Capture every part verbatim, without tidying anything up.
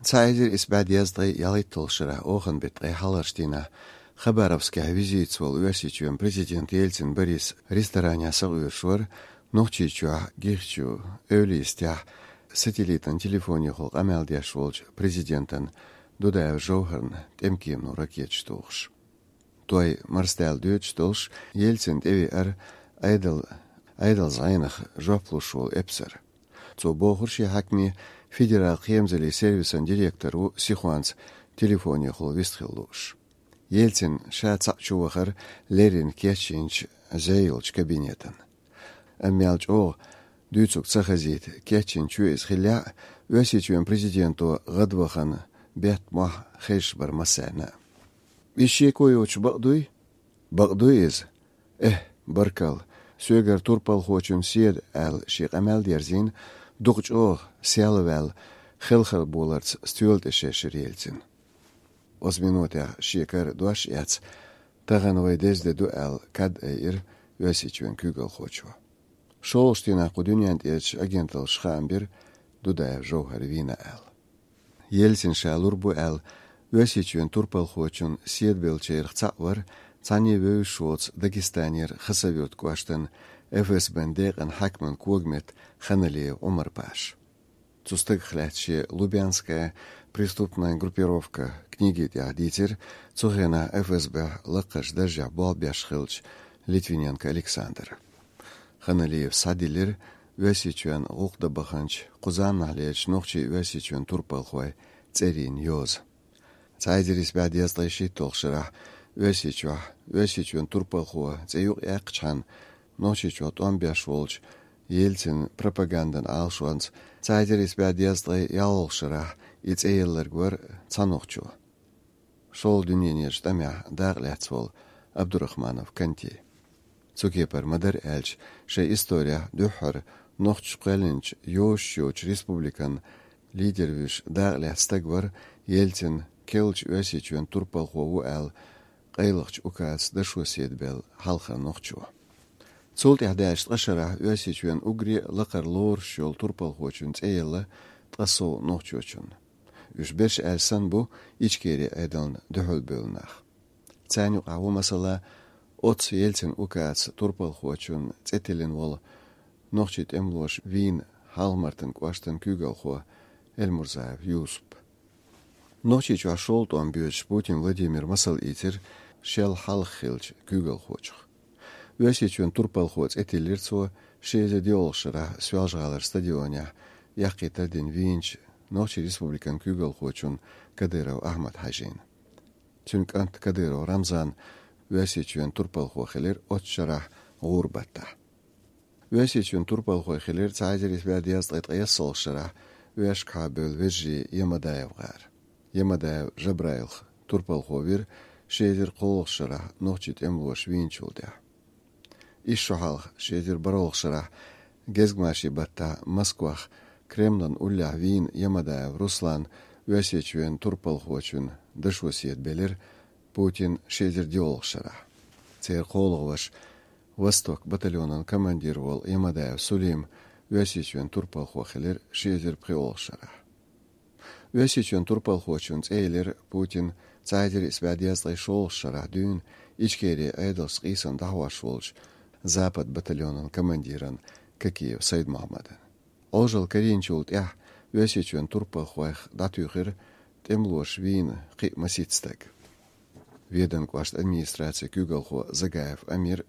Цхьа эзар исс бӀе дезткъе ялхитталгӀа шера охан бетта ткъе хьалхарча дийнахь Хабаровскехь визитаца волу Оьрсийчоьнан президент Ельцин Борис ресторанехь сакъоьруш вара Нохчийчохь Гихчу эвла йистехь сателлитан телефонехула къамел деш волчу президентан Дудаев Жовхарна тӀемкемано ракеташ тухуш. Той марсадаьлла доьдуш долуш, Ельцин тӀевеара Ӏедал, Ӏедал зӀенах жоп луш волу эпсар. Цо бохура шен хьаькаме федерал кхерамзаллин сервисан директор ву сихонца телефонехула вистхила лууш. Ельцин ша цхьаъ чу вахара леррина кечйинчу зӀе йолчу кабинетан. Амма мел чӀогӀа дуьйцург ца хазийта, кечйина чоь иза хиллехь а, Оьрсийчоьнан президенто гӀадвахана бетта мохь хезаш бара массарна а. Иза шеко йоцуш бакъ дуй? Бакъ дуй иза. Эхь, баркалла, соьгара турпалхочун седа, аьлла, шен къамел дерзийна, дукха чӀогӀа сел а ваьлла, хелхар боларца стоьла тӀе шершира Ельцин. Оцу минотехь шен кара дош эцна, тахана вай деза де ду аьлла, кад айира Оьрсийчоьнан куьйгалхочо. ШолгӀачу дийнахь кху дуьнен тӀерачу агенталлаша хаам бира, Дудаев Жовхар вийна аьлла. Ельцин ша лур бу аьлла, Оьрсийчоьнан турпалхочун седа беллачарах цхьаъ вара цхьанне вевзаш воцу Дагестанера Хасавюрт кӀоштан ФСБ-н декъан хьаькаман когаметта Ханалиев Ӏумар-паша. Цу стагах лаьцна шен «Лубянская преступная группировка» книги тӀехь дийцира цу хенахь ФСБ-хь лакхарчу даржехь болх беш хиллачу Литвиненко Александра. Ханалиев схьадиллира Оьрсийчоьнан гӀуллакх дан баханчу, кху заманахьлерачу нохчийн-оьрсийчоьнан турпалхойн цӀерийн йоза. Цхьа эзар исс бӀе дезткъе шийтталгӀачу шарахь Оьрсийчохь Оьрсийчоьнан турпалхо цӀе юкъаяьккхачхьана, Нохчийчохь тӀом беш волчу Ельцин пропагандин Ӏалашонца цхьа эзар исс бӀе дезткъе ялхалгӀачу шарахь и цӀе елларг вара цхьа нохчо, шолгӀа дуьненан тӀамехь дакъа лаьцна волу Абдурахманов Канти. Цу кепара ма-дарра аьлча, шайн исторехь дуьххьара нохчаша кхоьллинчу йозуш йоцучу республикан лидер вуьйш дакъа лаьцна стаг вара Ельцин керлачу Оьрсийчоьнан турпалхо ву аьлла, къайлахчу указаца дашо седа белла хьалхара нохчо. Цул тӀаьхьа даьллачу ткъа шарахь Оьрсийчоьнан уггаре а лакхара лоруш йолу турпалхочун цӀе елла ткъе сов нохчочун. Уьш берш аьлла санна бу Ичкерин Ӏедална дуьхьалбевлла нах. Царна юкъахь ву, масала, оццу Ельцин указаца турпалхочун цӀе тиллина волу нохчийн тӀемалоша вийна Хьалха-Мартан кӀоштан куьйгалхо Эльмурзаев Юсуп. Нохчийчохь шолгӀа тӀом боьдуш Путин Владимира масал ийцира шел хьалха хиллачу куьйгалхочух. Оьрсийчоьнан турпалхо цӀе тиллира цо ши эзар диъалгӀачу шарахь Соьлжа-ГӀалара стадионехь яккхий тардина вийначу Нохчийн Республикан куьйгалхочун Кадыров Ахьмад-Хьаьжина. Цуьнан кӀант Кадыров Рамзан Оьрсийчоьнан турпалхо хилира оццу шарахь гӀуран баттахь. Оьрсийчоьнан турпалхой хилира цхьа эзар исс бӀе дезткъе ткъайоьсналгӀачу шарахь Оьшкахьа бевлла вежарий Ямадаев гӀар. Ямадаев Жабраил турпалхо вира ши эзар кхоалгӀачу шарахь нохчийн тӀемалоша вийначул тӀаьхьа. Исс шо хьалха, ши эзар бархӀалгӀачу шарахь, гезгмашин баттахь Москвахь Кремлан уллехь вийна Ямадаев Руслан Оьрсийчоьнан турпалхочун дашо седа белира Путина ши эзар диъалгӀачу шарахь. Церан кхоалгӀа ваша, «Восток» батальонан командир волу Ямадаев Сулим Оьрсийчоьнан турпалхо хилира ши эзар пхоьалгӀачу шарахь. Оьрсийчоьнан турпалхочун цӀе елира Путина цхьа эзар исс бӀе дезткъе шолгӀачу шарахь дуьйна Ичкерин Ӏедалца къийсам дӀахьош волчу «Запад» батальонан командиран Кокиев Сайд-Мухьаммадан. Ӏожалла карийначул тӀаьхьа Оьрсийчоьнан турпалхойх дӀатуьйхира тӀемалоша вийна кхин а масийтта стаг. Веданан кӀоштан администрацин куьйгалхо Загаев Амир,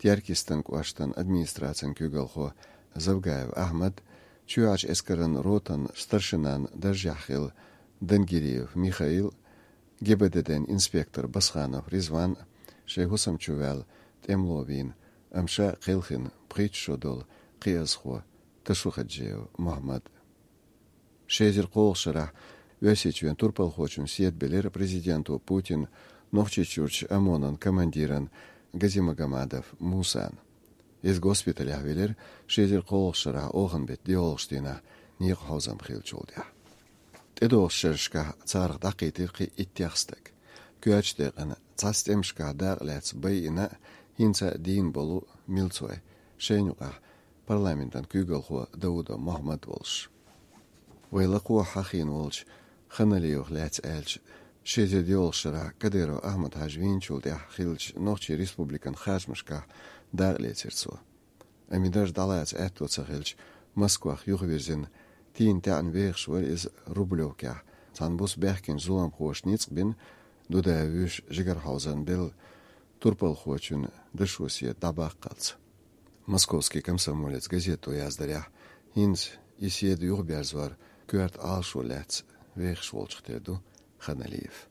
Теркйистан кӀоштан администрацин куьйгалхо Завгаев Ахьмад, чоьхьарчу эскаран ротан старшинан даржехь хилла Дангириев Михаил, ГБДД-н инспектор Басханов Ризван шайн хӀусам чу ваьлла тӀемало вийна, амма ша кхелхина пхийтта шо долу кхиазхо Ташухаджиев Мухьаммад. Ши эзар кхоалгӀачу шарахь Оьрсийчоьнан турпалхочун седа белира президенто Путина Нохчийчуьрчу ОМОН-ан командиран Газимагомадов Мусана. Иза госпиталехь велира ши эзар кхоалгӀачу шарахь охан беттан диъалгӀачу дийнахь некъан хьовзам хиллачул тӀаьхьа. ТӀедогӀучу шерашкахь царах дӀакхийтира кхин иттех стаг. Коьртачу декъана цхьацца тӀемашкахь дакъа лаьцна байина а, хӀинца а дийна болу Милцой, шайна юкъахь парламентан куьйгалхо Даудов Мухьаммад волуш. Вай лакхахь хьахийна волчу Ханалиевах лаьцна аьлча, ши эзар диълагӀча шарахь Кадыров Ахьмад-Хьажа вийначул тӀаьхьа хиллача Нохчийн Республикан харжамашкахь дакъа лецира цо. Амма дарж дӀалаца аьтто ца хилча, Москвах юхавирзина, тийна-таьӀна вехаш вара иза Рублевкехь, цхьана буса баьхкинчу зуламхоша ницкъ бина, Дудаев вуьйш жигара хьовзарна белла турпалхочун дашо седа дӀабаккхалц. «Московский комсомолец» газето яздарехь, хӀинца и седа юхаберзор коьрта Ӏалашо лаьцна вехаш волчух тера ду Ханалиев.